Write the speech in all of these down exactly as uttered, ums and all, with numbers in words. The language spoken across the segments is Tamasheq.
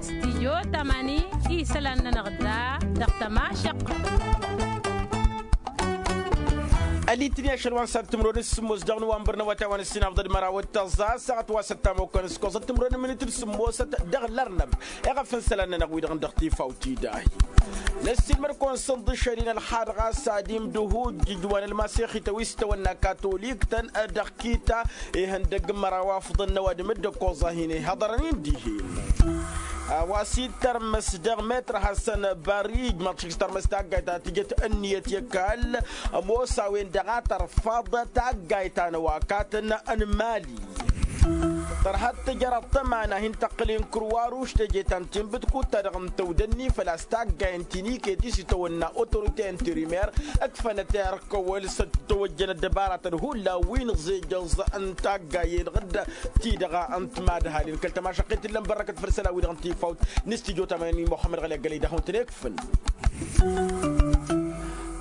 Stijyo tamani isălan-nănăɣ da dăɣ-tămašăqqăt. Ălitni ašăl wa n-săr timron s-sǝmmos dăɣ-nǝwanbăr n-awătay wa n-ǝssin afḍăl măraw d-tăẓẓa a-s aɣăt wa s-ăttamokăn s-koẓăt timron n-minit d-sǝmmosăt dăɣ-lărnăb. Iɣăf n-isălan-nănăɣ wi-dăɣ n-dăɣ tifawt-i dahi. Năssiilmăd-kăwăn s-ǝnḍǝšăl-in ălxad ɣas ad-imdǝhu d-ijwan ălmasexităn wi s-tăwănna katolik-tăn dăɣ-kita ihăndăgg n-măraw afḍăn n-ăwadǝm d-ǝkkoẓ a hin-ihăḍărăn-in dihen. A-wa s-ittărmăs dăɣ-metr hasăn-bari ijmaḍ šik s-tărmăs taggayt ta tǝjăt ǝnniyăt i-ăkall. Ămoos a-wen-dăɣ a tărfaḍ taggayt ta n-ăwakatăn n-mali. Tărha d-tǝjăraḍ tămana hin-tăqqǝl i-n kruwaruš teje ta n-tinbǝtkut-ta-dăɣ n-tăwdănni făl-a-s taggayen ti n-iket i-s itawănna otorite interimer ǝkfănăt i-ar kăwăl s-tăwăjjăn ăddăbaratăn hullan wi n-iẓejăẓ n-taggayen ɣǝdd-ti-dăɣ n-timadhalin kăl-tămašăqqet ǝllăn bărrăkăt făll-isălan-wi-dăɣ n-tifawt n-istijyo tamănăn i-muxămmăd ɣăli ăggălăy d-ahun-tăn-ikfǝn.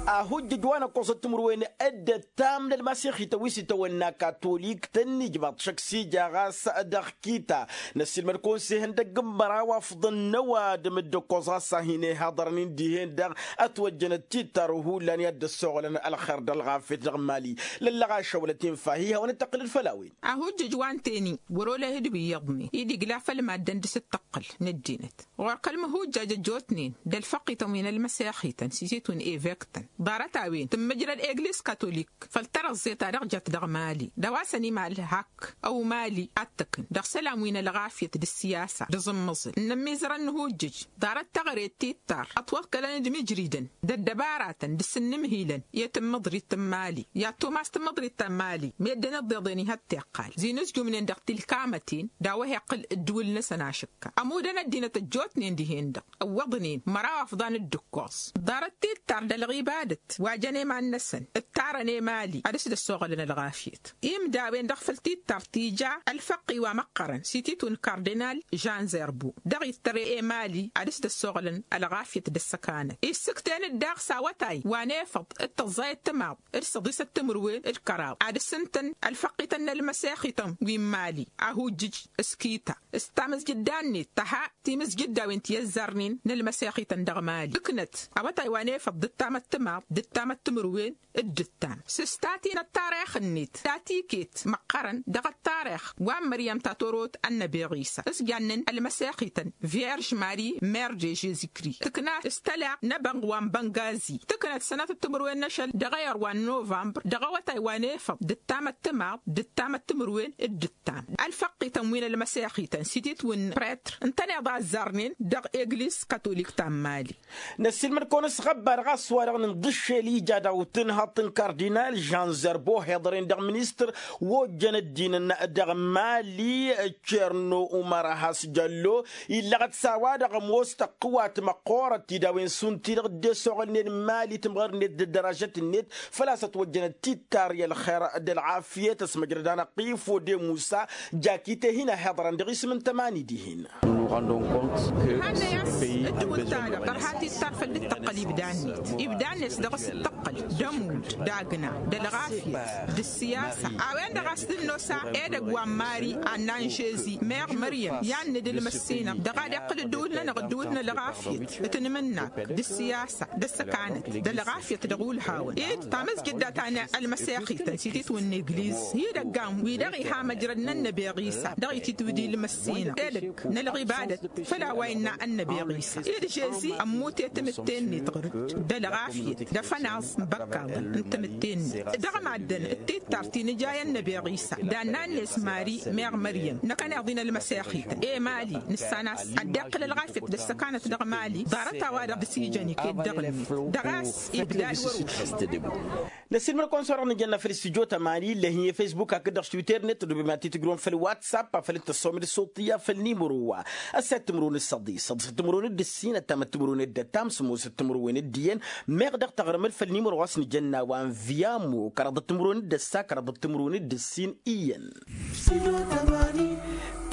Ahujjǝj wa n-ăkkoẓăt timǝrwen dd-ăttam n-ălmasexităn wi s-itawănna katolik tăn-ijmaḍ šăkk s-ija ɣas dăɣ-kita. Năssiilmăd-kăwăn s-ihăndăgg n-măraw afḍăn n-ăwadǝm dd-ǝkkoẓ ɣas a hin-ihaḍărăn-in dihen-dăɣ ătwăjjănăt tittar hullan i-ad-dd-ăssoɣălăn ălxer d-ălɣafyăt dăɣ-mali. Lăllăɣ ašăwălăt infa hi-hawăn-dd-tăqqǝl d-făll-a-wen. Ahujjǝj wa n-teni wăr-olăh d-wi iyyăḍnen-i d-igla făll-maddǝn dăr-s d-tăqqǝl n-ăddinăt. Ɣur-kăl-măhujjaj ăjjootnen d-ălfăqqităn wi n-ălmăsexităn s-ititwǝn evek-tăn ḍarăt-a-wen tǝmmǝjrăd egliz katolik făll-tărăẓẓe ta dăɣ-jat dăɣ-mali d-a-wa săn imal hak ăw mali ad-tăkn dăɣ-isălan wi n-ălɣafyăt d-ǝssiyasa d-aẓǝmmăẓǝl n-ămmiẓrăn n-ihujjǝj. Ḍarăt teɣăre d-tittar ătwăḍkălăn d-imǝjridăn d-ăddăbaratăn d-asǝnnǝmhilăn i-tǝmmǝḍrit n-mali i-ad-tumas tǝmmǝḍrit ta n-mali meddǝn ǝḍḍeḍen ihătteɣ. Ăqqal zinǝzjumnen dăɣ-tilkamăten d-a-wa hi-iqqǝl ǝddǝwǝl-năsăn ašǝkka ămudăn ăddinăt ăjjootnen dihen-dăɣ ǝwwăḍnen măraw afḍan dd-ǝkkoẓ. Ḍarăt tittar d-ălɣibadăt wa jăn i-iman-năsăn ǝttarăn i-mali ad-dăɣ-s dd-ăssoɣălăn ălɣafyăt. Imdawen-dăɣ făll-tittar tija ălfăqqi wa măqqărăn s-ititwǝn kardinal žan zerbo dăɣ-ittăr i-mali ad-dăɣ-s dd-ăssoɣălăn ălɣafyăt d-ăssăkanăt issǝkten-dd daɣ s-awătay wa n-efăḍ d-tăẓẓayăt timaḍ d-săḍisăt timǝrwen d-kăraḍ ad-dăɣ-s ǝntăn ălfăqqităn n-ălmăsexităn wi n-mali. Ahujjǝj s-kita s-tamǝzjǝdda-net tăha timǝzjǝddawen ti ăzzarnen n-ălmăsexităn dăɣ-mali ǝknăt awătay wa n-efăḍ d-ǝttamăt timaḍ d-ǝttamăt timǝrwen d-ǝttam s-ǝsta ti n-ăttarix-net ta tiket măqqărăn dăɣ-ăttarix wa n-măryăm ta torot ănnăbi ɣisa s-jannen ălmăsexităn vierž mari mer de žezikri tǝkna s-tăla n-ebănɣ wa n-băngazi tǝknăt sănatăt timǝrwen n-ašăl dăɣ-ayăr wa n-novămbăr dăɣ-awătay wa n-efăḍ d-ǝttamăt timaḍ d-ǝttamăt timǝrwen d-ǝttam. Ălfăqqităn wi n-ălmăsexităn s-ititwǝn pretr ǝntăneḍ a ăzzarnen dăɣ-egliz katolik ta n-mali. Năssiilmăd-kăwăn s-ɣăbba-dăɣ a-s wa-dăɣ nǝnḍǝššel ija dăɣ-tǝnhăḍt n-kardinal žan zerbo heḍăren dăɣ-ministăr wa ojjăn ăddinăn dăɣ-mali. Cerno umăr a has-jăllo illăɣăt s-a-wa-dăɣ ămoos tăqqǝwat măqqoorăt-dd a-wen šund-ti-dăɣ dd-e-soɣălnen mali tǝmɣăr-net d-ăddărajăt-net făl-a-s ătwăjjănăt tittar i-ălxer d-ălɣafyăt ăsmăjrăd anăqqif ode musa. Jakite hin-ăhiḍărăn dăɣ-isǝm n-tămani dihen. Hannăy a-s ǝddǝwǝl-ta-dăɣ tărha tittar făll-dd-tăqqăl ibda-net ibda-net dăɣ-s d-tăqqăl d-ămudd d-agna d-ălɣafyăt d-ǝssiyasa. A-wen-dăɣ a-s dd-nosa edăgg wa n-mari anna n-žezi meɣ măryăm i-ad-nǝdǝlmăs s-inăɣ dăɣ-ad-iqqǝl ǝddǝwǝl-nănăɣ ǝddǝwǝl n-ălɣafyăt d-tǝnmǝnnak d-ǝssiyasa d-ăssăkanăt d-ălɣafyăt dăɣ-ulhawăn ed tamǝzjǝdda ta n-ălmăsexităn s-ititwǝn n-egliz. Idăggan wi-dăɣ iha măjrăd n-ănnăbi ɣisa dăɣ-ititwǝd ilmăssinăɣ edăgg n-ălɣibadăt făll-a-wa innă ănnăbi ɣisa ed žezi ămmute tamǝtte-net ɣur-dd d-ălɣafyăt d-afănaẓ n-ibăkkaḍăn n-tamǝtte-net dăɣ-maddăn d-tittar ti nǝja i-ănnăbi ɣisa d-annan-net mari meɣ măryăm năkkăneḍ-in ălmăsexităn i-mali nǝssan a-s ad-dd-iqqǝl ălɣafyăt d-ăssăkanăt dăɣ-mali ḍarăt-a-wa-dăɣ dăr-s ijăn iket dăɣ-net dăɣ-a-s ibda d-wăr-ušǝl. Năsiilmăd-kăwăn s-wa-dăɣ nǝjănna făll-istudyo tămani illa hin-e-fesbuk hakd-dăɣ s-twitter-net tǝdubem ad-t-tǝjrǝwăm făll-whatsapp afăl dd-tăssăwăm d-ăṣṣuṭṭǝyya făll-nimăro wa ăssayăt timǝrwen d-săḍis săḍisăt timǝrwen d-ǝssin ăttamăt timǝrwen d-ăttam sămoosăt timǝrwen d-iyyăn. Meɣ dăɣ-taɣrǝm-dd făll-nimăro wa s-nǝjănna wa n-via mo kăraḍăt timǝrwen d-ăssa kăraḍăt timǝrwen d-ǝssin iyyăn.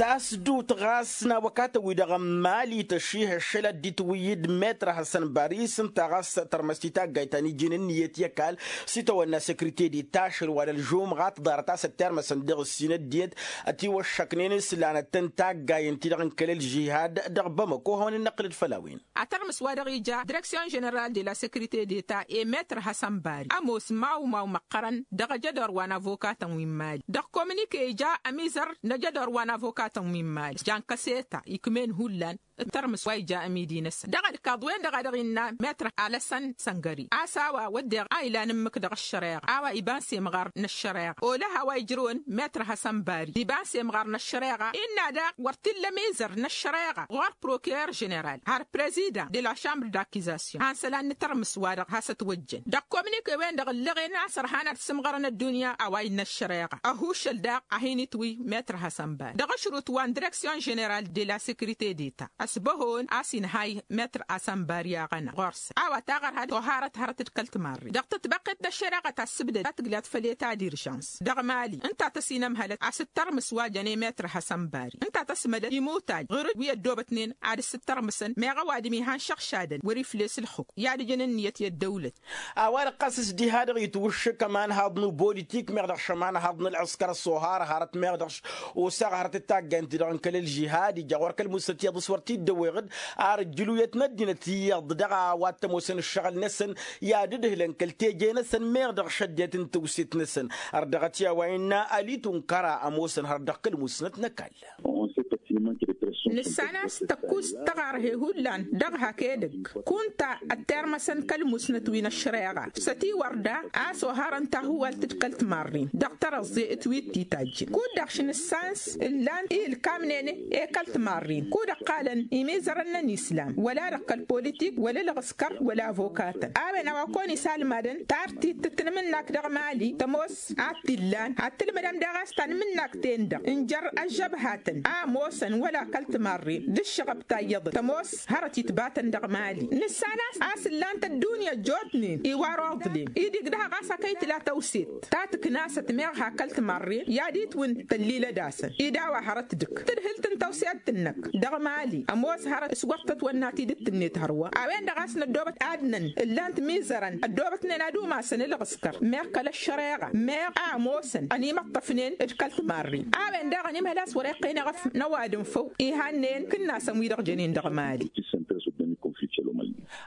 Tasdut ɣas n-awăkatăn-wi-dăɣ n-mali tăšših ăššăl ad-dd-itwǝyyǝd metr hasăn baris ǝnta ɣas tărmăs titaggayt ta n-ijin ǝnniyăt i-ăkall. S-itawănna săkrite d-itašăl wa n-ălžumɣa tǝḍarăt a-s ăttirmăsăn dăɣ-ǝssin ăddinăt ătiwăššăknen islanăt n-taggayen-ti-dăɣ n-kăl-ălžihad dăɣ-bamăko hawăn-ănnăqqǝlăd făll-a-wen. Atărmǝs wa dăɣ-ija direksyon ženeral de la sekrite deta i-metr hassan bari ămoos mawmaw măqqărăn dăɣ-ajădor wa n-avokatăn wi n-mali dăɣ-kominike ija ămizăr n-ajădor wa n-avokatăn wi n-mali jan kăseta ikm'-en hullan. Ǝttărmǝs wa ija ămidi-năsăn dăɣ-ălkaḍ-wen-dăɣ a dăɣ-innă metr alăsăn săngări a-s a-wa wădden a ilan ǝmmǝk dăɣ-ăššăreɣa a-wa iba n-semɣar n-ăššăreɣa olăh a-wa ijrǝwăn metr hassan bari iba n-semɣar n-ăššăreɣa innă daɣ wăr t-illa ămizăr n-ăššăreɣa ɣur-prokirer ženeral har prezidan de la šambr d-akizasyon han isălan n-tărmǝs-wa-dăɣ has-ătwăjjăn dăɣ-kominike-wen-dăɣ ǝllăɣen a-s ărhan ad-sǝmɣărăn ăddunya a-wa innă ăššăreɣa ăhuššăl daɣ a hin-itwǝy metr hassan bari dăɣ-ašrut wa n-direksyon ženeral de la sekrite deta ăsbăhon a-s inhay metr hassan bari aɣăna ɣur-s a-wa taɣărha toharăt hărăt d-kăl-timarre dăɣ-tătbăqqet n-ăššăreɣa ta ăssibdăd ta tǝglat făll-eta d-irjans dăɣ-mali ǝnta tăsinămhălăt a-s ǝttărmǝs wa jăn i-metr hassan bari ǝnta tăsmădăd imutaj ɣur-dd wi ăddoobătnen ad-ăssǝttărmǝsăn meɣ ăwadǝm ihăn-šăɣšadăn wăr-ifles ǝlxǝkk i-ad-ǝjǝn ǝnniyăt i-ăddăwlăt. A-wa-dăɣ ɣas s-diha-dăɣ itwǝššǝk ămanhaḍ n-uboolitik meɣ dăɣ-šămanhaḍ n-ălɣǝskăr ăṣṣohar hărăt meɣ dăɣ-s osaɣ hărăt d-taggaynt-ti-dăɣ n-kăl-ălžihad ija ɣur-kăl-musnăt iyyăḍ s-wăr t-dd-ăwweɣ-dd ar ǝjjǝluyăt n-ăddinăt iyyăḍ dăɣ-a-wa t-ămoosăn ǝššăɣǝl-năsăn i-ad-ǝdhǝlăn kăl-teje-năsăn meɣ dăɣ-šăddinăt n-tewset-năsăn. Ărdăɣăt i-a-wa innă ălitunkăra ămoosăn hărăt dăɣ-kăl-musnăt n-ăkall. Nǝssan a-s tăkkus tăɣarhe hullan dăɣ-hak edăgg kunta ăttermăsăn kăl-musnăt wi n-ăššăreɣa s-ătiwărda a-s oharăn tahuwalt d-kăl-timarrin dăɣ-tărăẓẓe d-wi t-itajjǝn kud-dăɣ š-nǝssan s-ǝllan i-ǝlkamnen i-kăl-timarrin kud-ăqqalăn imizărăn n-ănislam wăla dăɣ-kăl-politik wăla ǝlɣǝskăr wăla avokatăn a-wen a-wa kăwăn-isalmadăn tartit tǝtnǝmǝnnak dăɣ-mali tămoos ad-t-illan ad-tǝlmǝdăm daɣ a-s tanmǝnnak-ten-dăɣ n-jer-ăžžăbhatăn a ămoosăn wăla kăl-timarren d-ǝššăɣăb ta iyyăḍăt tămoos hărăt itbatăn dăɣ-mali nǝssan a-s ǝllan-t ăddunya ăjjootnen iwar oḍlem idig dăɣ-ɣas akăy tǝla tăwset ta tǝknasăt meɣ hakăl timarren i-ad-itwǝn tăllilăd-asăn ed a-wa hărăt dăɣ-tǝdhǝlt n-tăwse ad-tǝnnăk dăɣ-mali ămoos hărăt s-wăr tătwănna tidǝt-net hărwa a-wen-dăɣ a-s n-ăddoobăt adnăn ǝllan-t mizărăn ăddoobătnen ad-umasăn ǝlɣǝskăr meɣ kăl-ăššăreɣa meɣ a ămoosăn ănimăṭṭăfnen d-kăl-timarren a-wen daɣ ănimhăl a-s wăr-iqqen eɣăf n-ăwadǝm făw ihannen kǝnnasăn wi-dăɣ jănen dăɣ-mali.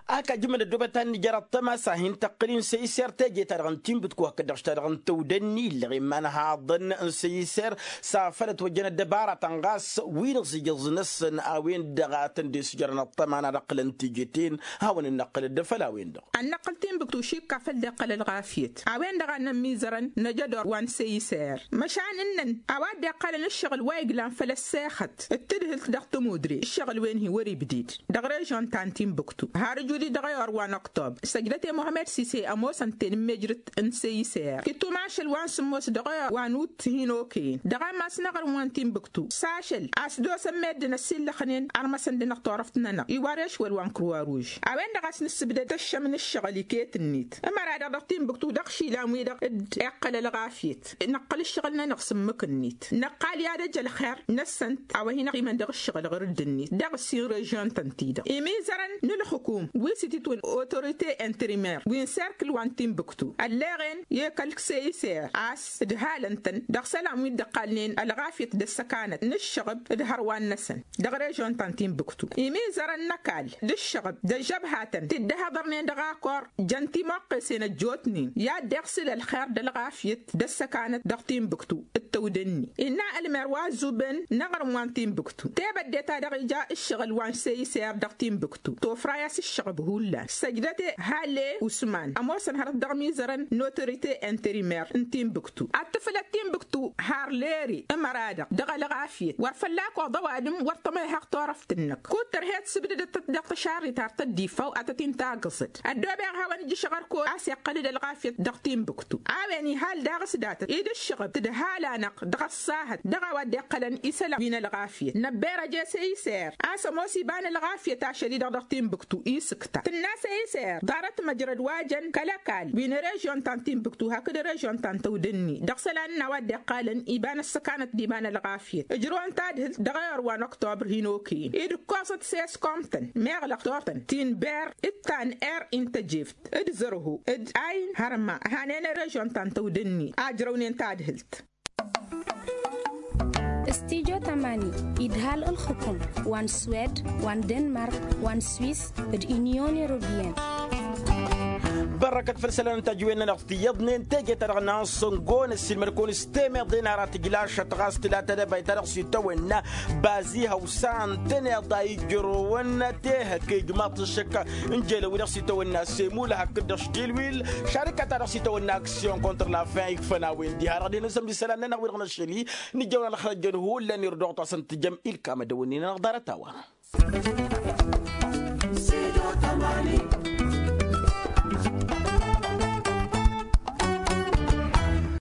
Ak ajǝmăn ăddoobăt ta n-nǝjăr ăṭṭăma s-ad-hin-tăqqǝl-in săyser teje-ta-dăɣ n-tinbǝtku hakd-dăɣ š-ta-dăɣ n-tăwdănni illăɣ iman haḍăn n-săyser s-afăl ătwăjjăn ăddăbaratăn ɣas wi n-aẓijǝẓ-năsăn a-wen-dăɣ a tăn-dd-isǝjrăn ăṭṭăma n-ad-ǝqqǝlăn tijǝten. Hawăn-in-năqqǝlăd făll-a-wen-dăɣ. Ad-năqqǝl tinbǝktu šikka făll-dd-iqqăl ălɣafyăt a-wen-dăɣ a nămmizărăn n-ajădor wa n-săyser măšan ǝnnăn a-wa dd-iqqălăn ǝššăɣǝl wa iglan făll-ăssexăt d-tǝdhǝlt dăɣ-tămudre ǝššăɣǝl-wen-hi wăr-ibded dăɣ-režon ta n-tinbǝktu har ǝjudǝy dăɣ-eyor wa n-oktob săjdăt i-muhămed sise ămoosăn tenǝmmejrǝt n-săyser kittum ašăl wa n-sǝmmos dăɣ-eyor wa n-ut hin-okăyăn dăɣ-ammas n-aɣrǝm wa n-tinbǝktu s-ašăl a-s dd-osăn meddǝn ăsillăxnen armăsăn-dănăɣ turăft-nănăɣ iwar ešwăl wa n-kruwa ruž a-wen-dăɣ a-s nǝssǝbdăd tăššăm n-ǝššăɣǝl iket-net ămăra-dăɣ dăɣ-tinbǝktu dăɣ-išilan-wi-dăɣ dd-iqqăl ălɣafyăt năqqăl ǝššăɣǝl-nănăɣ s-ǝmmǝk-net năqqal i-ad-ăj ălxer-năsăn a-wa hin-ăqqimăn dăɣ-ǝššăɣǝl ɣǝr-dd-net dăɣ-ǝssin režyon-tăn-ti-dăɣ imizărăn n-ǝlxǝkum wi s-ititwǝn otorite intrimer wi n-serkǝl wa n-tinbǝktu ălleɣen i-kăl-săyser a-s ǝdhalăn-tăn dăɣ-isălan wi dd-ăqqalnen ălɣafyăt d-ăssăkanăt n-ǝššăɣǝb d-hărwan-năsăn dăɣ-režyon ta n-tinbǝktu imizărăn n-ăkall d-ǝššăɣǝb d-ăžžăbhatăn ti dd-ăhăḍărnen dăɣ-akor jăn timuqqesen ăjjootnen i-ad-dd-iɣsǝl ălxer d-ălɣafyăt d-ăssăkanăt dăɣ-tinbǝktu d-tăwdănni innă ălmer wa ăzzuben n-aɣrǝm wa n-tinbǝktu tebădde-ta-dăɣ ija ǝššăɣǝl wa n-săyser dăɣ-tinbǝktu tofra-i a-s ǝššăɣǝb hullan săjdăt i-halle usman ămoosăn hărăt dăɣ-imizărăn n-otorite intrimer n-tinbǝktu ad-tǝflăt tinbǝktu har lere ămăra-dăɣ dăɣ-ălɣafyăt wăr fălla-k oḍ ăwadǝm wăr tămăyhăɣ turăft-năk kud-tărhed sǝbdădăt-tăt dăɣ-tăšarrit har tăddifaw ad-tăt-in-taggǝẓăd ăddobeɣ a hawăn-ǝjjǝšăɣ ărkăwăl a-s iqqăl-dd ălɣafyăt dăɣ-tinbǝktu a-wen ihal daɣ s-datăt ed ǝššăɣăb tǝdhal-anăɣ dăɣ-ăṣṣahăt dăɣ-a-wa dd-iqqălăn isălan wi n-ălɣafyăt năbberăj i-săyser a-s ămoos iba n-ălɣafyăt ašăl-i-dăɣ dăɣ-tinbǝktu Tǝnna s-e-iser ḍarăt măjrăd wa jăn kăl-ăkall wi n-režion ta n-tinbǝktu hakd režion ta n-tăwdǝnni dăɣ-isălan n-a-wa dd-iqqalăn iba n-ăssăkanăt d-iba n-ălɣafyăt ǝjrăwăn tadhǝlt dăɣ-ayăr wa n-oktobăr hin-okăyăn-i d-ǝkkoẓăt s-e-s komtăn meɣ lăqtor-tăn ti n-ber d-ta n-er-i n-tăjeft d-zărho d-ayn hărma hanen režion ta n-tăwdǝnni a ǝjrăwnen tadhǝlt. Stijo tamani idhal ǝlxǝkum wa n-swed wa n-denmark wa n-swis d-inyon europiyăn. Bărrăkăt făll-isălan n-tajǝwen-nănăɣ tiyyăḍnen teje-ta-dăɣ n-ansăngon ăssiilmăd-kăwăn s-temeḍe n-aratǝj lašăt ɣas tǝla tadăbayt-ta-dăɣ s-itawănna bazi hawsa ǝntăneḍ a ijrăwăn tehăk ijmaḍ-t ǝššǝk n-jelăw-i-dăɣ s-itawănna semul hakd-dăɣ štilwil šarika-ta-dăɣ s-itawănna aksyon kontr-la fin ikfăn a-wen diha-dăɣ dihen n-sămd isălan-nănăɣ wi-dăɣ năššăl-i nǝjjăwăn ălxălăjjăn hullan irdăɣ-t a-s ǝntǝjăm ilkam ad-dăwănnin-anăɣ ḍarăt-a-wa.